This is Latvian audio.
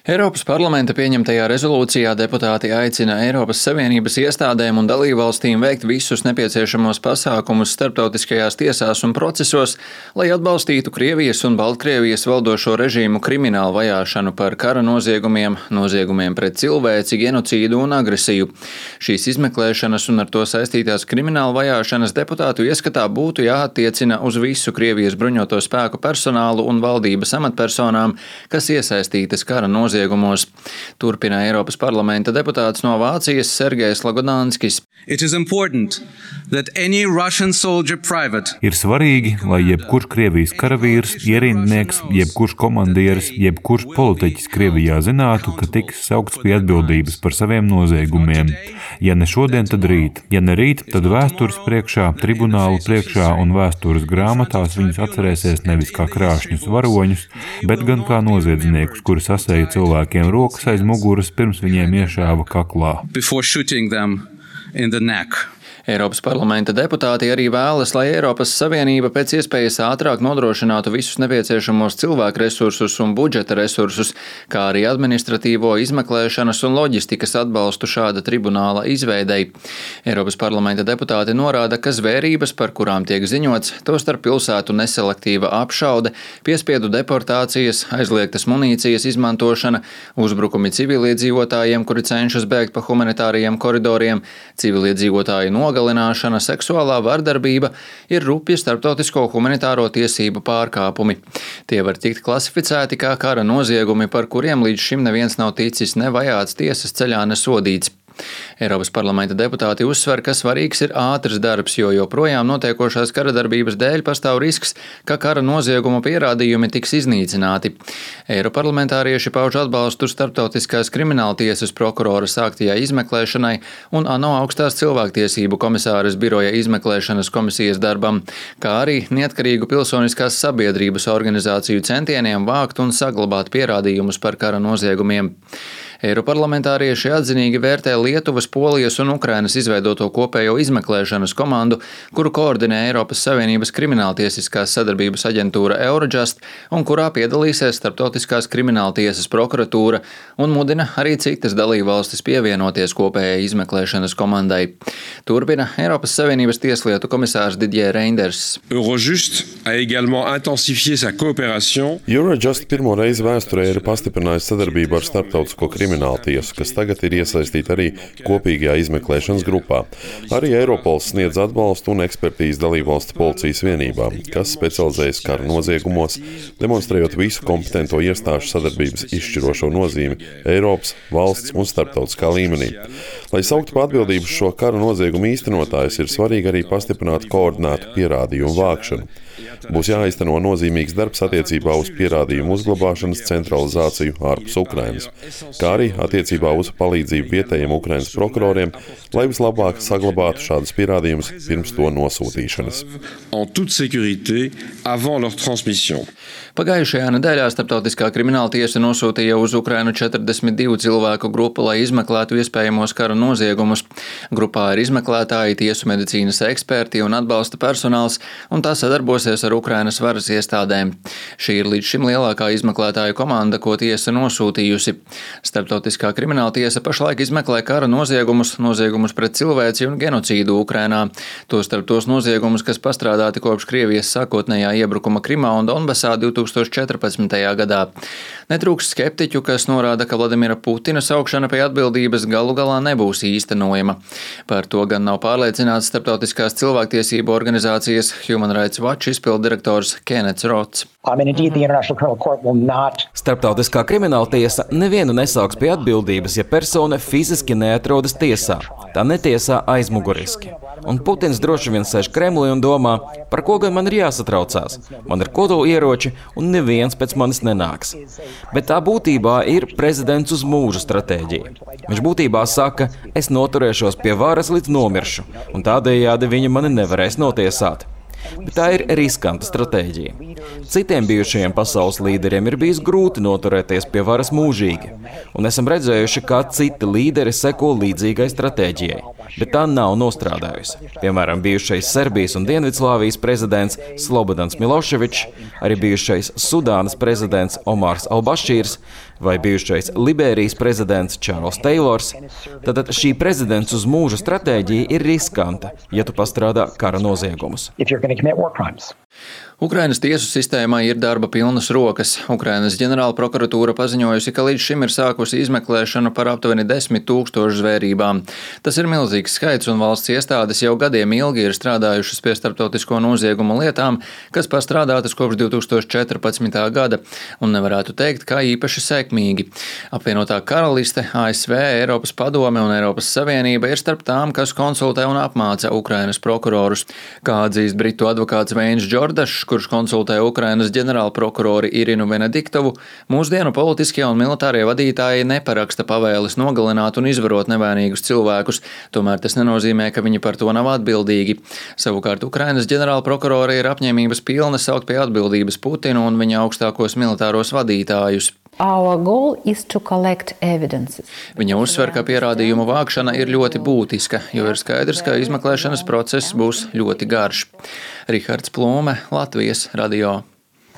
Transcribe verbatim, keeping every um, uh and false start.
Eiropas parlamenta pieņemtajā rezolūcijā deputāti aicina Eiropas Savienības iestādēm un dalībvalstīm veikt visus nepieciešamos pasākumus starptautiskajās tiesās un procesos, lai atbalstītu Krievijas un Baltkrievijas valdošo režīmu kriminālu vajāšanu par kara noziegumiem, noziegumiem pret cilvēci, genocīdu un agresiju. Šīs izmeklēšanas un ar to saistītās kriminālu vajāšanas deputātu ieskatā būtu jāattiecina uz visu Krievijas bruņoto spēku personālu un valdības amatpersonām, kas iesaistītas kara noziegumos. Turpina Eiropas parlamenta deputāts no Vācijas Sergejs Lagodānskis. Ir svarīgi, lai jebkurš Krievijas karavīrs, ierindnieks, jebkurš komandieris, jebkurš politiķis Krievijā zinātu, ka tiks saukts pie atbildības par saviem noziegumiem. Ja ne šodien, tad rīt. Ja ne rīt, tad vēstures priekšā, tribunālu priekšā un vēstures grāmatās viņus atcerēsies nevis kā krāšņus varoņus, bet gan kā noziedzniekus, kuri sasēja cilvēkiem rokas aiz muguras, pirms viņiem iešāva kaklā. Eiropas parlamenta deputāti arī vēlas, lai Eiropas Savienība pēc iespējas ātrāk nodrošinātu visus nepieciešamos cilvēku resursus un budžeta resursus, kā arī administratīvo izmeklēšanas un loģistikas atbalstu šāda tribunāla izveidei. Eiropas parlamenta deputāti norāda, ka zvērības, par kurām tiek ziņots, tostarp pilsētu neselektīva apšaude, piespiedu deportācijas, aizliegtas munīcijas izmantošana, uzbrukumi civiliedzīvotājiem, kuri cenšas bēgt pa humanitārajiem koridoriem, civiliedzīvotāju nogalināšana, Galināšana, seksuālā vardarbība ir rupji starptautisko humanitāro tiesību pārkāpumi. Tie var tikt klasificēti kā kara noziegumi, par kuriem līdz šim neviens nav ticis ne vajāts tiesas ceļā, ne sodīts. Eiropas parlamenta deputāti uzsver, ka svarīgs ir ātrs darbs, jo joprojām notiekošās kara darbības dēļ pastāv risks, ka kara noziegumu pierādījumi tiks iznīcināti. Eiroparlamentārieši pauž atbalstu starptautiskās krimināltiesas prokurora sāktajai izmeklēšanai un ANO augstās cilvēktiesību komisāres biroja izmeklēšanas komisijas darbam, kā arī neatkarīgu pilsoniskās sabiedrības organizāciju centieniem vākt un saglabāt pierādījumus par kara noziegumiem. Eiroparlamentārieši atzinīgi vērtē Lietuvas, Polijas un Ukrainas izveidoto kopējo izmeklēšanas komandu, kuru koordinē Eiropas Savienības krimināltiesiskās sadarbības aģentūra Eurojust un kurā piedalīsies Starptautiskās krimināltiesas prokuratūra un mudina arī citas dalībvalstis pievienoties kopējai izmeklēšanas komandai. Turpina Eiropas Savienības tieslietu komisārs Didier Reinders. Eurojust a également intensifié sa coopération. Eurojust pirmo reizi vēsturē ir pastiprinājusi sadarbību ar starptautisko kriminālu tiesu, kas tagad ir iesaistīta arī kopīgajā izmeklēšanas grupā. Arī Eiropols sniedz atbalstu un ekspertīzi dalībvalstu policijas vienībām, kas specializējas kara noziegumos, demonstrējot visu kompetento iestāžu sadarbības izšķirošo nozīmi Eiropas, valsts un starptautiskā līmenī. Lai sauktu pa atbildību šo kara noziegumu īstenotājus, ir svarīgi arī pastiprināt koordinētu pierādījumu vākšanu. Būs jāizteno nozīmīgs darbs attiecībā uz pierādījumu uzglabāšanas centralizāciju ārpus Ukrainas, kā arī attiecībā uz palīdzību vietējiem Ukrainas prokuroriem, lai vislabāk saglabātu šādus pierādījumus pirms to nosūtīšanas. Pagājušajā nedēļā Starptautiskā krimināla tiesa nosūtīja uz Ukrainu četrdesmit divu cilvēku grupu, lai izmeklētu iespējamos kara noziegumus. Grupā ir izmeklētāji, tiesu medicīnas eksperti un atbalsta personāls, un tā sadarbosies ar Ukrainas varas iestādēm. Šī ir līdz šim lielākā izmeklētāju komanda, ko tiesa nosūtījusi. Starptautiskā krimināla tiesa pašlaik izmeklē kara noziegumus, noziegumus pret cilvēci un genocīdu Ukrainā. Tostarp tos noziegumus, kas pastrādāti kopš Krievijas sākotnējā iebrukuma Krimā un Donbasā divtūkstoš četrpadsmitajā gadā. Netrūks skeptiķu, kas norāda, ka Vladimira Putina saukšana pie atbildības galu galā nebūs īstenojama. Par to gan nav pārliecināts starptautiskās cilvēktiesību organizācijas Human Rights Watch izpilddirektors Kennets Rots. Starptautiskā krimināla tiesa nevienu nesauks pie atbildības, ja persona fiziski neatrodas tiesā. Tā netiesā aizmuguriski. Un Putins droši vien sēž Kremlī un domā, par ko gan man ir jāsatraucās. Man ir kodolieroči un neviens pēc manis nenāks. Bet tā būtībā ir prezidents uz mūžu stratēģija. Viņš būtībā saka, es noturēšos pie varas līdz nomiršu, un tādējādi viņi mani nevarēs notiesāt. Bet tā ir riskanta stratēģija. Citiem bijušajiem pasaules līderiem ir bijis grūti noturēties pie varas mūžīgi, un esam redzējuši, kā citi līderi seko līdzīgai stratēģijai, bet tā nav nostrādājusi. Piemēram, bijušais Serbijas un Dienvidslāvijas prezidents Slobodans Miloševičs, arī bijušais Sudānas prezidents Omars Albašīrs, vai bijušais Liberijas prezidents Čārls Teilors, tad šī prezidents uz mūža stratēģija ir riskanta, ja tu pastrādā kara noziegumus. Ukrainas tiesu sistēmā ir darba pilnas rokas. Ukrainas ģenerāla prokuratūra paziņojusi, ka līdz šim ir sākusi izmeklēšanu par aptuveni desmit tūkstošu zvērībām. Tas ir milzīgs skaits, un valsts iestādes jau gadiem ilgi ir strādājušas pie starptautisko noziegumu lietām, kas pastrādātas kopš divi tūkstoši četrpadsmitā gada, un nevarētu teikt, kā īpaši sekmīgi. Apvienotā karaliste, A S V, Eiropas padome un Eiropas Savienība ir starp tām, kas konsultē un apmāca Ukrainas prokurorus. Kā atzīst britu advokāts Veins Džordašs, kurš konsultē Ukrainas ģenerālprokurori Irinu Venediktovu, mūsdienu politiskie un militārie vadītāji neparaksta pavēles nogalināt un izvarot nevainīgus cilvēkus, tomēr tas nenozīmē, ka viņi par to nav atbildīgi. Savukārt Ukrainas ģenerālprokurori ir apņēmības pilni saukt pie atbildības Putinu un viņa augstākos militāros vadītājus. Viņa uzsver, ka pierādījumu vākšana ir ļoti būtiska, jo ir skaidrs, ka izmeklēšanas process būs ļoti garš. Rihards Plūme, Latvijas radio.